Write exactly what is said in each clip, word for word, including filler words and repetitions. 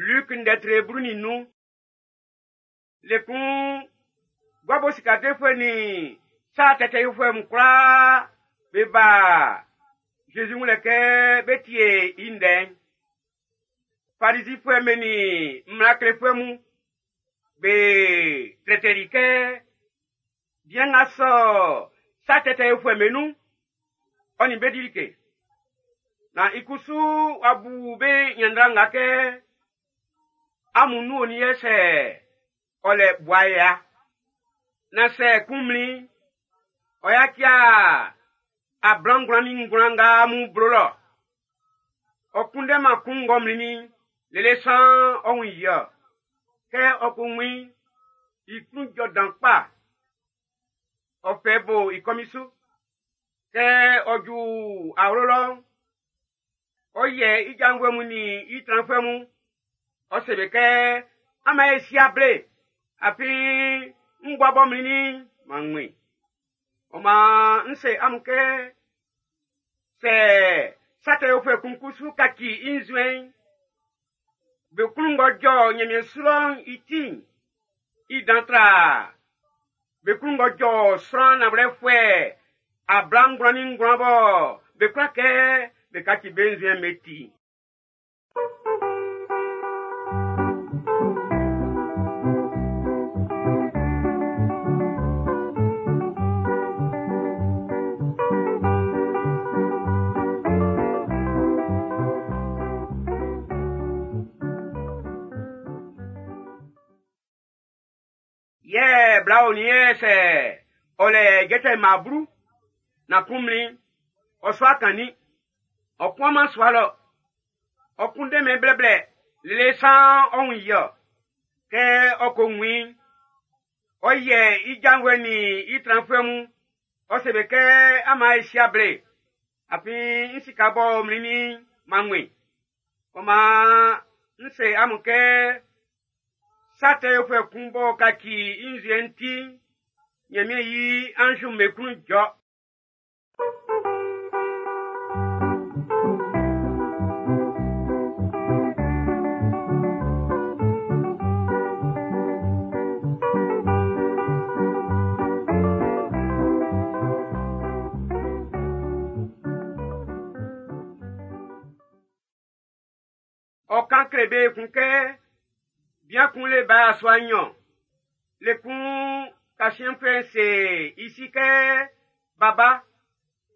Luc ndɛtre blu nin nnun. Le kun guabo sika defuɛ nin sa tɛtɛ yofuɛ mun kwlaa be ba Jésus wun lɛ kɛ be tie i ndɛ'n. Farizifuɛ be nin mmla klefuɛ mun be trɛtɛli kɛ bian nga sɔ sa tɛtɛ yofuɛ be nun, ɔ nin be di like. Na i kusu wa bu be ɲanndra nga kɛ amun nun oni yɛ sɛ ɔ lɛ bua ya. Na sɛ kun mlin, ɔ ya kia ablangwlan nin ngwlan nga amun blo lɔ. Ɔ kunndɛman kun ng'ɔ mlinnin lele san ɔ wun i ɔ. Kɛ ɔ ko wun i klun jɔ dan kpa. Ɔ fɛ bo i kɔmin su. Kɛ ɔ ju awlo lɔ, ɔ yɛ i janvuɛ mun nin i tranfuɛ mun. Ɔ se be kɛ ama e si able, afin n bua bɔ mlinnin ma ŋmin. Ɔ maan n se amun kɛ sɛ sa tɛ yofuɛ kun kusu kaci i nzuɛn'n, be klun ng'ɔ jɔ Ɲanmiɛn su lɔ'n i ti'n, i dan tra be klun ng'ɔ jɔ sran nanwlɛfuɛ ablangwlan nin ngwlan bɔ be kwla kɛ be kaci be nzuɛn'n be ti. Yɛ bla oni yɛ sɛ ɔlɛ jɛtɛ maa blu na kun mlin ɔsɔ akanni ɔkun ama sua lɔ ɔkun dɛmɛ blɛblɛ lele san ɔhun yɔ kɛ ɔko win ɔyɛ i janvuɛ nin i tranfuɛ mun ɔse be kɛ ama esi able afin n sika bɔ mlinnin ma ŋmin ɔma n se amun kɛ sa tɛ yofuɛ kun b'ɔ kaci i nzuɛn'n ti Ɲanmiɛn yi anzi'm be klun jɔ. Ɔ kan kle be kun kɛ bian kun le ba asua nnyɔn. Le kun kasiɛnfuɛ'n se i si kɛ baba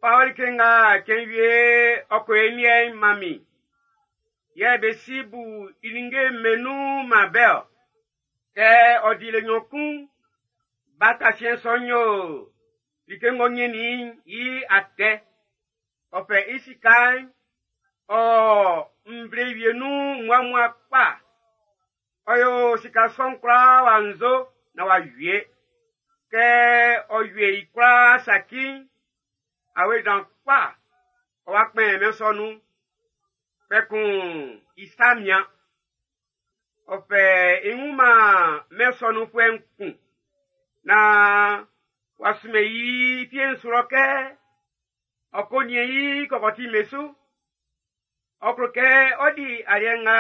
fa ɔ like nga cɛn wie ɔ ko e liɛ'n man min. Yɛ be si bu i ninnge'm be nun man bɛ ɔ. Kɛ ɔ di le nnyɔn kun, ba kasiɛn sɔ'n yo like ng'ɔ nyɛnnin i atɛ. Ɔ fɛ i sika'n ɔ nvle wie nun muamua kpa. Ɔ yo sika sɔ'n kwlaa wa nzo na wa wie. Kɛ ɔ wie i kwlaa saki'n, awe dan kpa ɔ wa kpɛn mɛn sɔ nun. Kpɛkun i sa mian. Ɔ fɛ i wun man mɛn sɔ nunfuɛ'n kun. Na wa sumɛ i fie'n su lɔ kɛ ɔ ko niɛn i kɔkɔti'm be su. Ɔ klo kɛ ɔ di aliɛ nga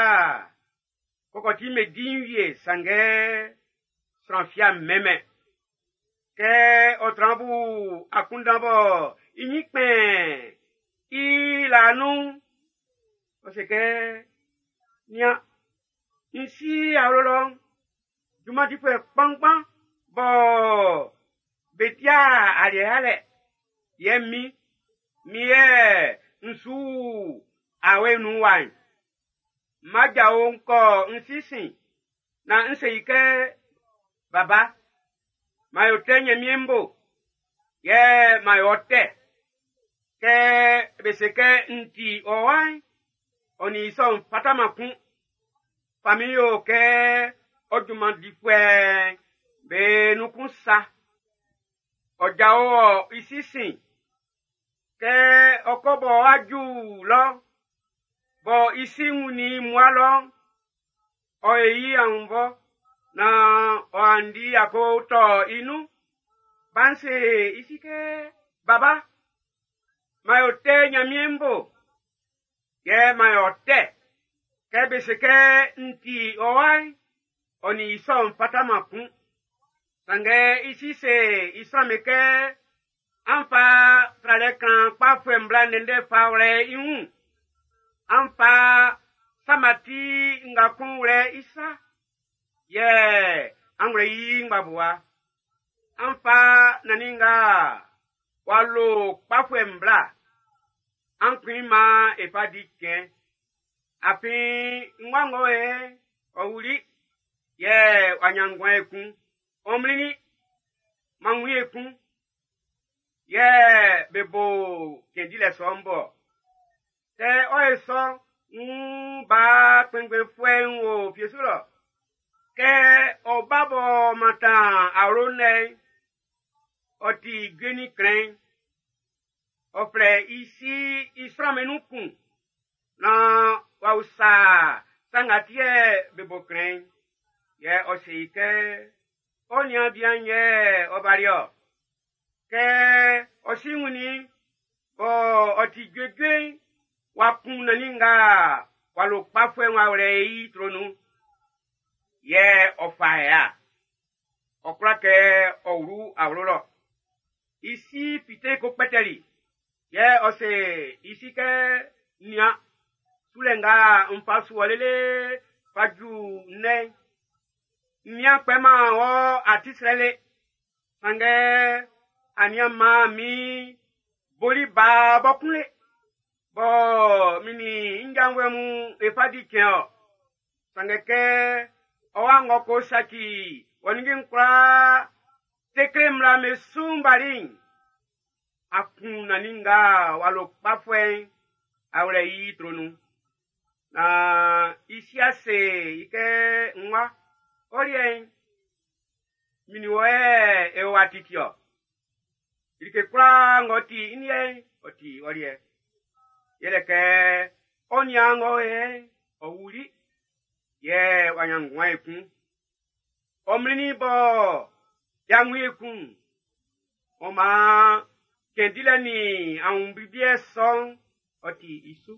kɔkɔti'm be di'n wie sanngɛ sran fia mɛmɛ. Kɛ ɔ tran bu akunndan bɔ i nyin kpɛn i la nun, ɔ se kɛ nian n si awlo lɔ junman difuɛ kpanngban bɔ be dia aliɛ alɛ yɛ mi mi yɛ n su awe nun wa'n. Majawo ŋkɔ n sisi na n se yi kɛ baba ma yo tɛ Ɲanmiɛn bo yɛ ma yo tɛ kɛ be se kɛ n ti ɔ wa'n ɔ nin i sɔ'n fataman kun. Fa min yo kɛ ɔ junman difuɛ be nun kun sa. Ɔ jao ɔ i sisi kɛ ɔ kɔ bɔ aju lɔ bɔ i si wun ni mua lɔ ɔ e yi ahunvɔ na ɔ andi ako tɔ i nun. Ba'n se i si kɛ baba ma yo tɛ Ɲanmiɛn bo yɛ ma yo tɛ. Kɛ be se kɛ n ti ɔ wa'n, ɔ nin i sɔ'n fataman kun. Sanngɛ i si se i sran'm be kɛ, an fa tralɛ kan kpafuɛ'n bla ndɛndɛ fa wlɛ i wun. An fa samati nga kun wlɛ i sa. Yɛ an wlɛ i ngbabua. An fa nannin nga w'a lo kpafuɛ'n bla. An kun i man e fa di cɛn. Afin nguan ng'ɔ o yɛ'n, ɔ wuli. Yɛ w'a ɲan nguan ekun. Ɔ mlinnin, m'an wun i ekun. Yɛ be bo cɛn dilɛ sɔ'n bo. Kɛ ɔ ye sɔ, ń ba kpɛnngbɛnfuɛ'n wo fie su lɔ. Kɛ ɔ ba bɔ mantan awlo nɛ'n, ɔ ti jue ni klɛn. Ɔ flɛ i si i sran'm be nun kun naan w'a usa sa nga ti yɛ be bo klɛn'n. Yɛ ɔ se i kɛ, ɔ niaan bian yɛ ɔ bali ɔ. Kɛ ɔ si wunnin bɔ ɔ ti juejue'n, w'a kun nannin nga w'a lo kpafuɛ'n w'a wlɛ i tro nun. Yɛ ɔ fa ya. Ɔ kwla kɛ ɔ wlu awlo lɔ. I si fite ko kpɛtɛli. Yɛ ɔ se i si kɛ, nian, sulɛ nga n fa su ɔ lele fa ju nnɛn. N nian kpɛman wɔ ati srɛ le. Sanngɛ a nian man min boli ba bɔ kun le. Bɔ min nin n janvuɛ mun e fa di cɛn ɔ. Sanngɛ kɛ ɔ wa ngɔ ko saci wɔ ninnge'n kwlaa tekle mmla me su'n bali'n, a kun nannin nga w'a lo kpafuɛ'n a wlɛ i tro nun. Na i si ase i kɛ n wa, ɔ liɛ'n, min nin wɔ yɛ e wa titi ɔ. Like kwlaa ng'ɔ ti i liɛ'n, ɔ ti ɔ liɛ. Yɛlɛ kɛ ɔ niaan ng'ɔ o yɛ'n, ɔ wuli. Yɛ w'a ɲan nguan ekun. Ɔ mlinnin bɔ y'a wun ekun. Ɔ maan cɛn dilɛ nin awunblibliɛ sɔ'n, ɔ ti i su.